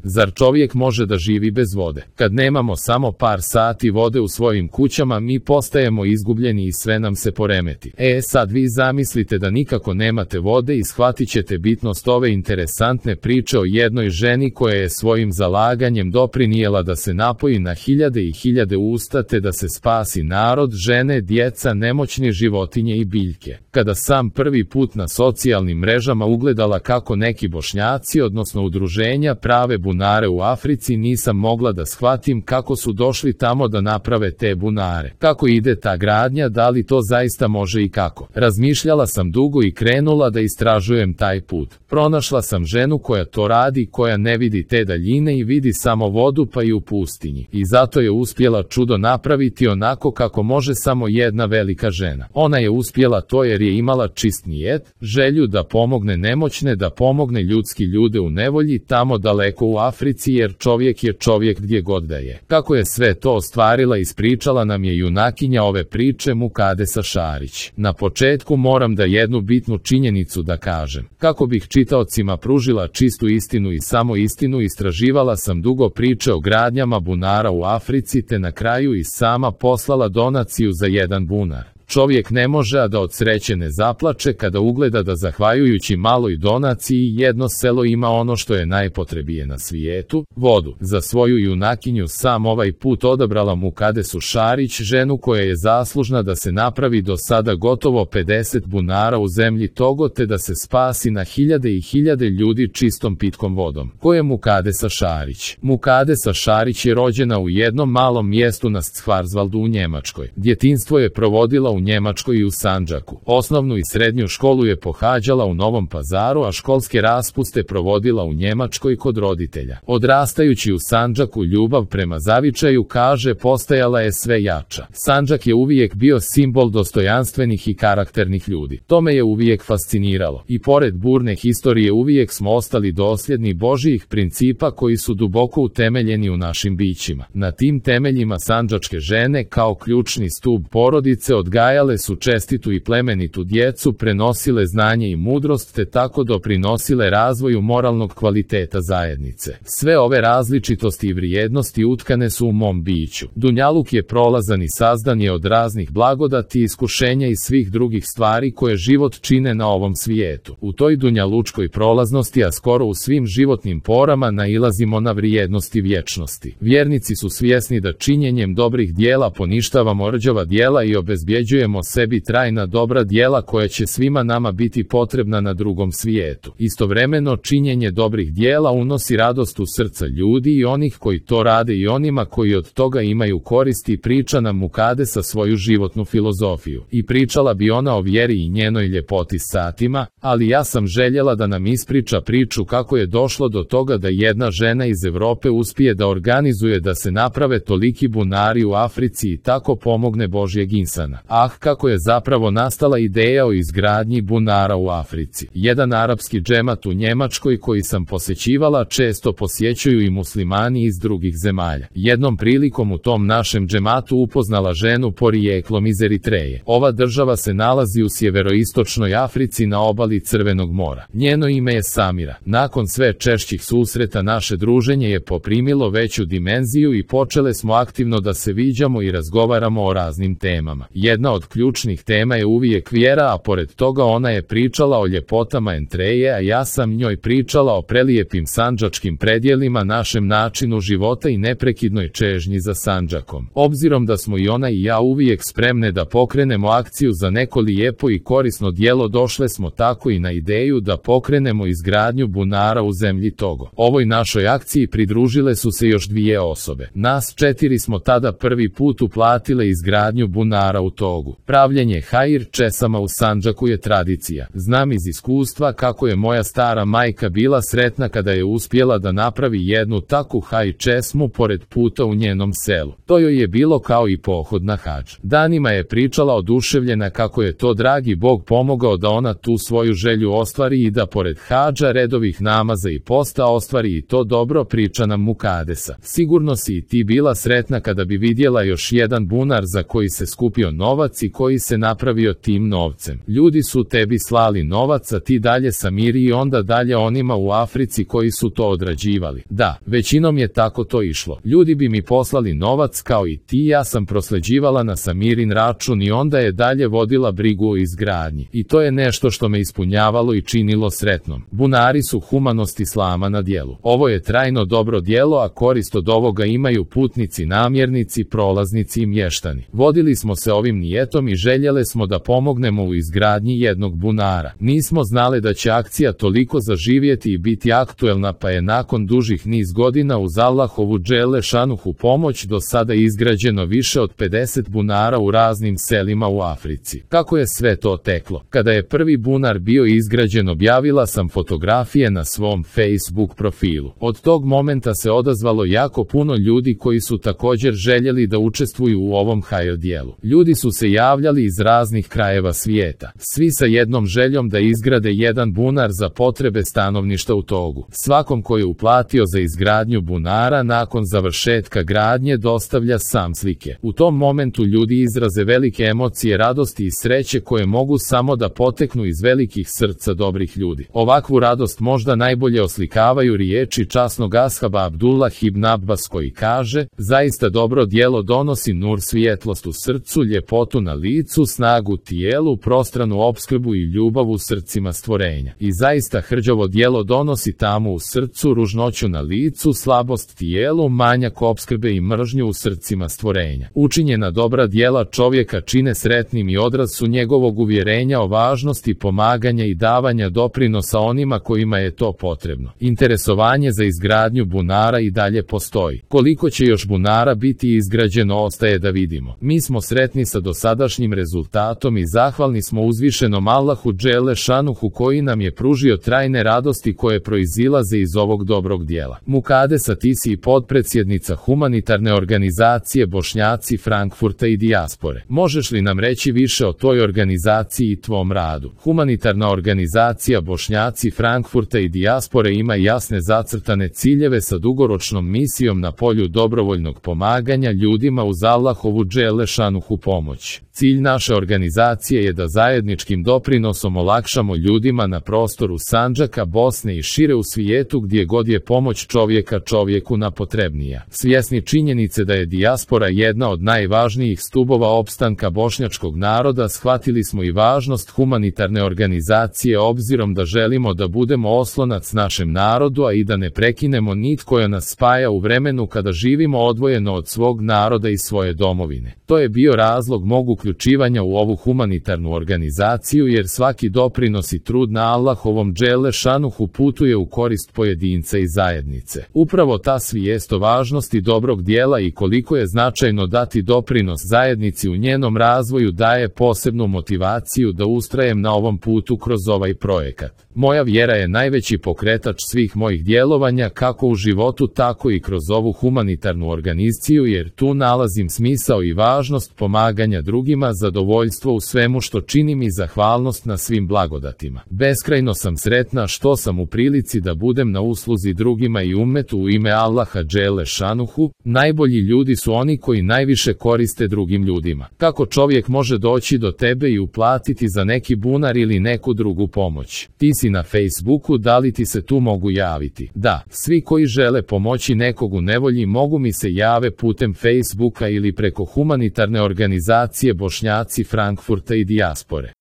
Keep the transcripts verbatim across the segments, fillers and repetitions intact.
Zar čovjek može da živi bez vode? Kad nemamo samo par sati vode u svojim kućama, mi postajemo izgubljeni i sve nam se poremeti. E sad vi zamislite da nikako nemate vode i shvatit ćete bitnost ove interesantne priče o jednoj ženi koja je svojim zalaganjem doprinijela da se napoji na hiljade i hiljade usta te da se spasi narod, žene, djeca, nemoćni, životinje i biljke. Kada sam prvi put na socijalnim mrežama ugledala kako neki Bošnjaci, odnosno udruženja, prave bunare u Africi, nisam mogla da shvatim kako su došli tamo da naprave te bunare. Kako ide ta gradnja, da li to zaista može i kako? Razmišljala sam dugo i krenula da istražujem taj put. Pronašla sam ženu koja to radi, koja ne vidi te daljine i vidi samo vodu pa i u pustinji. I zato je uspjela čudo napraviti onako kako može samo jedna velika žena. Ona je uspjela to jer je imala čist nijet, želju da pomogne nemoćne, da pomogne ljudski ljude u nevolji tamo daleko u Africi, jer čovjek je čovjek gdje god da je. Kako je sve to ostvarila, ispričala nam je junakinja ove priče, Mukadesa Šarić. Na početku moram da jednu bitnu činjenicu da kažem. Kako bih čitaocima pružila čistu istinu i samo istinu, istraživala sam dugo priče o gradnjama bunara u Africi te na kraju i sama poslala donaciju za jedan bunar. Čovjek ne može a da od sreće ne zaplače kada ugleda da zahvaljujući maloj donaciji jedno selo ima ono što je najpotrebije na svijetu, vodu. Za svoju junakinju sam ovaj put odabrala Mukadesu Šarić, ženu koja je zaslužna da se napravi do sada gotovo pedeset bunara u zemlji Togo te da se spasi na hiljade i hiljade ljudi čistom pitkom vodom. Ko je Mukadesa Šarić? Mukadesa Šarić je rođena u jednom malom mjestu na Schwarzwaldu u Njemačkoj. Djetinjstvo je provodila u Njemačkoj i u Sandžaku. Osnovnu i srednju školu je pohađala u Novom Pazaru, a školske raspuste provodila u Njemačkoj kod roditelja. Odrastajući u Sandžaku, ljubav prema zavičaju, kaže, postajala je sve jača. Sandžak je uvijek bio simbol dostojanstvenih i karakternih ljudi. To me je uvijek fasciniralo. I pored burne historije uvijek smo ostali dosljedni Božjih principa koji su duboko utemeljeni u našim bićima. Na tim temeljima sandžačke žene kao ključni stub porodice odgajale su čestitu i plemenitu djecu, prenosile znanje i mudrost te tako doprinosile razvoju moralnog kvaliteta zajednice. Sve ove različitosti i vrijednosti utkane su u mom biću. Dunjaluk je prolazan i sazdan je od raznih blagodati, iskušenja i svih drugih stvari koje život čine na ovom svijetu. U toj dunjalučkoj prolaznosti, a skoro u svim životnim porama, nailazimo na vrijednosti vječnosti. Vjernici su svjesni da činjenjem dobrih dijela poništavamo rđava dijela i obezbjeđujemo sebi trajna dobra djela koja će svima nama biti potrebna na drugom svijetu. Istovremeno, činjenje dobrih djela unosi radost u srca ljudi i onih koji to rade i onima koji od toga imaju koristi. Priča nam Mukadesa svoju životnu filozofiju. I pričala bi ona o vjeri i njenoj ljepoti satima, ali ja sam željela da nam ispriča priču kako je došlo do toga da jedna žena iz Europe uspije da organizuje da se naprave toliki bunari u Africi i tako pomogne Božjeg insana. Ah, kako je zapravo nastala ideja o izgradnji bunara u Africi. Jedan arapski džemat u Njemačkoj koji sam posjećivala često posjećuju i muslimani iz drugih zemalja. Jednom prilikom u tom našem džematu upoznala ženu porijeklom iz Eritreje. Ova država se nalazi u sjeveroistočnoj Africi na obali Crvenog mora. Njeno ime je Samira. Nakon sve češćih susreta naše druženje je poprimilo veću dimenziju i počele smo aktivno da se viđamo i razgovaramo o raznim temama. Jedna od ključnih tema je uvijek vjera, a pored toga ona je pričala o ljepotama Eritreje, a ja sam njoj pričala o prelijepim sandžačkim predjelima, našem načinu života i neprekidnoj čežnji za Sandžakom. Obzirom da smo i ona i ja uvijek spremne da pokrenemo akciju za neko lijepo i korisno djelo, došle smo tako i na ideju da pokrenemo izgradnju bunara u zemlji Togo. Ovoj našoj akciji pridružile su se još dvije osobe. Nas četiri smo tada prvi put uplatile izgradnju bunara u Togu. Pravljenje hajir česama u Sandžaku je tradicija. Znam iz iskustva kako je moja stara majka bila sretna kada je uspjela da napravi jednu takvu haj česmu pored puta u njenom selu. To joj je bilo kao i pohod na hadž. Danima je pričala oduševljena kako je to dragi Bog pomogao da ona tu svoju želju ostvari i da pored hadža, redovih namaza i posta ostvari i to dobro. Priča nam Mukadesa. Sigurno si i ti bila sretna kada bi vidjela još jedan bunar za koji se skupio novac novac i koji se napravio tim novcem. Ljudi su tebi slali novac, a ti dalje Samiri i onda dalje onima u Africi koji su to odrađivali. Da, većinom je tako to išlo. Ljudi bi mi poslali novac kao i ti, ja sam prosleđivala na Samirin račun i onda je dalje vodila brigu o izgradnji. I to je nešto što me ispunjavalo i činilo sretnom. Bunari su humanost islama na djelu. Ovo je trajno dobro djelo, a korist od ovoga imaju putnici, namjernici, prolaznici i mještani. Vodili smo se ovim nijetom i željele smo da pomognemo u izgradnji jednog bunara. Nismo znali da će akcija toliko zaživjeti i biti aktuelna, pa je nakon dužih niz godina uz Allahovu dželle šanuhu pomoć do sada izgrađeno više od pedeset bunara u raznim selima u Africi. Kako je sve to teklo? Kada je prvi bunar bio izgrađen, objavila sam fotografije na svom Facebook profilu. Od tog momenta se odazvalo jako puno ljudi koji su također željeli da učestvuju u ovom hajr dijelu. Ljudi su se javljali iz raznih krajeva svijeta, svi sa jednom željom da izgrade jedan bunar za potrebe stanovništva u Togu. Svakom ko je uplatio za izgradnju bunara nakon završetka gradnje dostavlja sam slike. U tom momentu ljudi izraze velike emocije radosti i sreće koje mogu samo da poteknu iz velikih srca dobrih ljudi. Ovakvu radost možda najbolje oslikavaju riječi časnog ashaba Abdullah ibn Abbas koji kaže: zaista dobro djelo donosi nur, svjetlost u srcu, ljepotu na licu, snagu tijelu, prostranu opskrbu i ljubav u srcima stvorenja. I zaista hrđavo djelo donosi tamu u srcu, ružnoću na licu, slabost tijelu, manjak opskrbe i mržnju u srcima stvorenja. Učinjena dobra djela čovjeka čine sretnim i odraz su njegovog uvjerenja o važnosti pomaganja i davanja doprinosa onima kojima je to potrebno. Interesovanje za izgradnju bunara i dalje postoji. Koliko će još bunara biti izgrađeno ostaje da vidimo. Mi smo sretni sa dosadašnjim rezultatom i zahvalni smo uzvišenom Allahu dželle šanuhu koji nam je pružio trajne radosti koje proizilaze iz ovog dobrog djela. Mukadesa, ti si potpredsjednica humanitarne organizacije Bošnjaci Frankfurta i dijaspore. Možeš li nam reći više o toj organizaciji i tvom radu? Humanitarna organizacija Bošnjaci Frankfurta i dijaspore ima jasne zacrtane ciljeve sa dugoročnom misijom na polju dobrovoljnog pomaganja ljudima uz Allahovu dželle šanuhu pomoć. Cilj naše organizacije je da zajedničkim doprinosom olakšamo ljudima na prostoru Sandžaka, Bosne i šire u svijetu gdje god je pomoć čovjeka čovjeku napotrebnija. Svjesni činjenice da je dijaspora jedna od najvažnijih stubova opstanka bošnjačkog naroda, shvatili smo i važnost humanitarne organizacije obzirom da želimo da budemo oslonac našem narodu, a i da ne prekinemo nit koja nas spaja u vremenu kada živimo odvojeno od svog naroda i svoje domovine. To je bio razlog mog uključivanja u ovu humanitarnu organizaciju, jer svaki doprinos i trud na Allahovom dželle šanuhu putuje u korist pojedinca i zajednice. Upravo ta svijest o važnosti dobrog djela i koliko je značajno dati doprinos zajednici u njenom razvoju daje posebnu motivaciju da ustrajem na ovom putu kroz ovaj projekat. Moja vjera je najveći pokretač svih mojih djelovanja kako u životu tako i kroz ovu humanitarnu organizaciju, jer tu nalazim smisao i važnost pomaganja drugima, zadovoljstvo u svemu što činim i zahvalnost na svim blagodatima. Beskrajno sam sretna što sam u prilici da budem na usluzi drugima i ummetu u ime Allaha dželle šanuhu. Najbolji ljudi su oni koji najviše koriste drugim ljudima. Kako čovjek može doći do tebe i uplatiti za neki bunar ili neku drugu pomoć? Ti si na Facebooku, da li ti se tu mogu javiti? Da, svi koji žele pomoći nekog u nevolji mogu mi se jave putem Facebooka ili preko humanitarne organizacije Bošnjaci Frankfurta i dijaspore.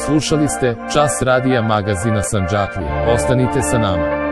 Slušali ste Čas radija magazina Sandžaklija. Ostanite sa nama.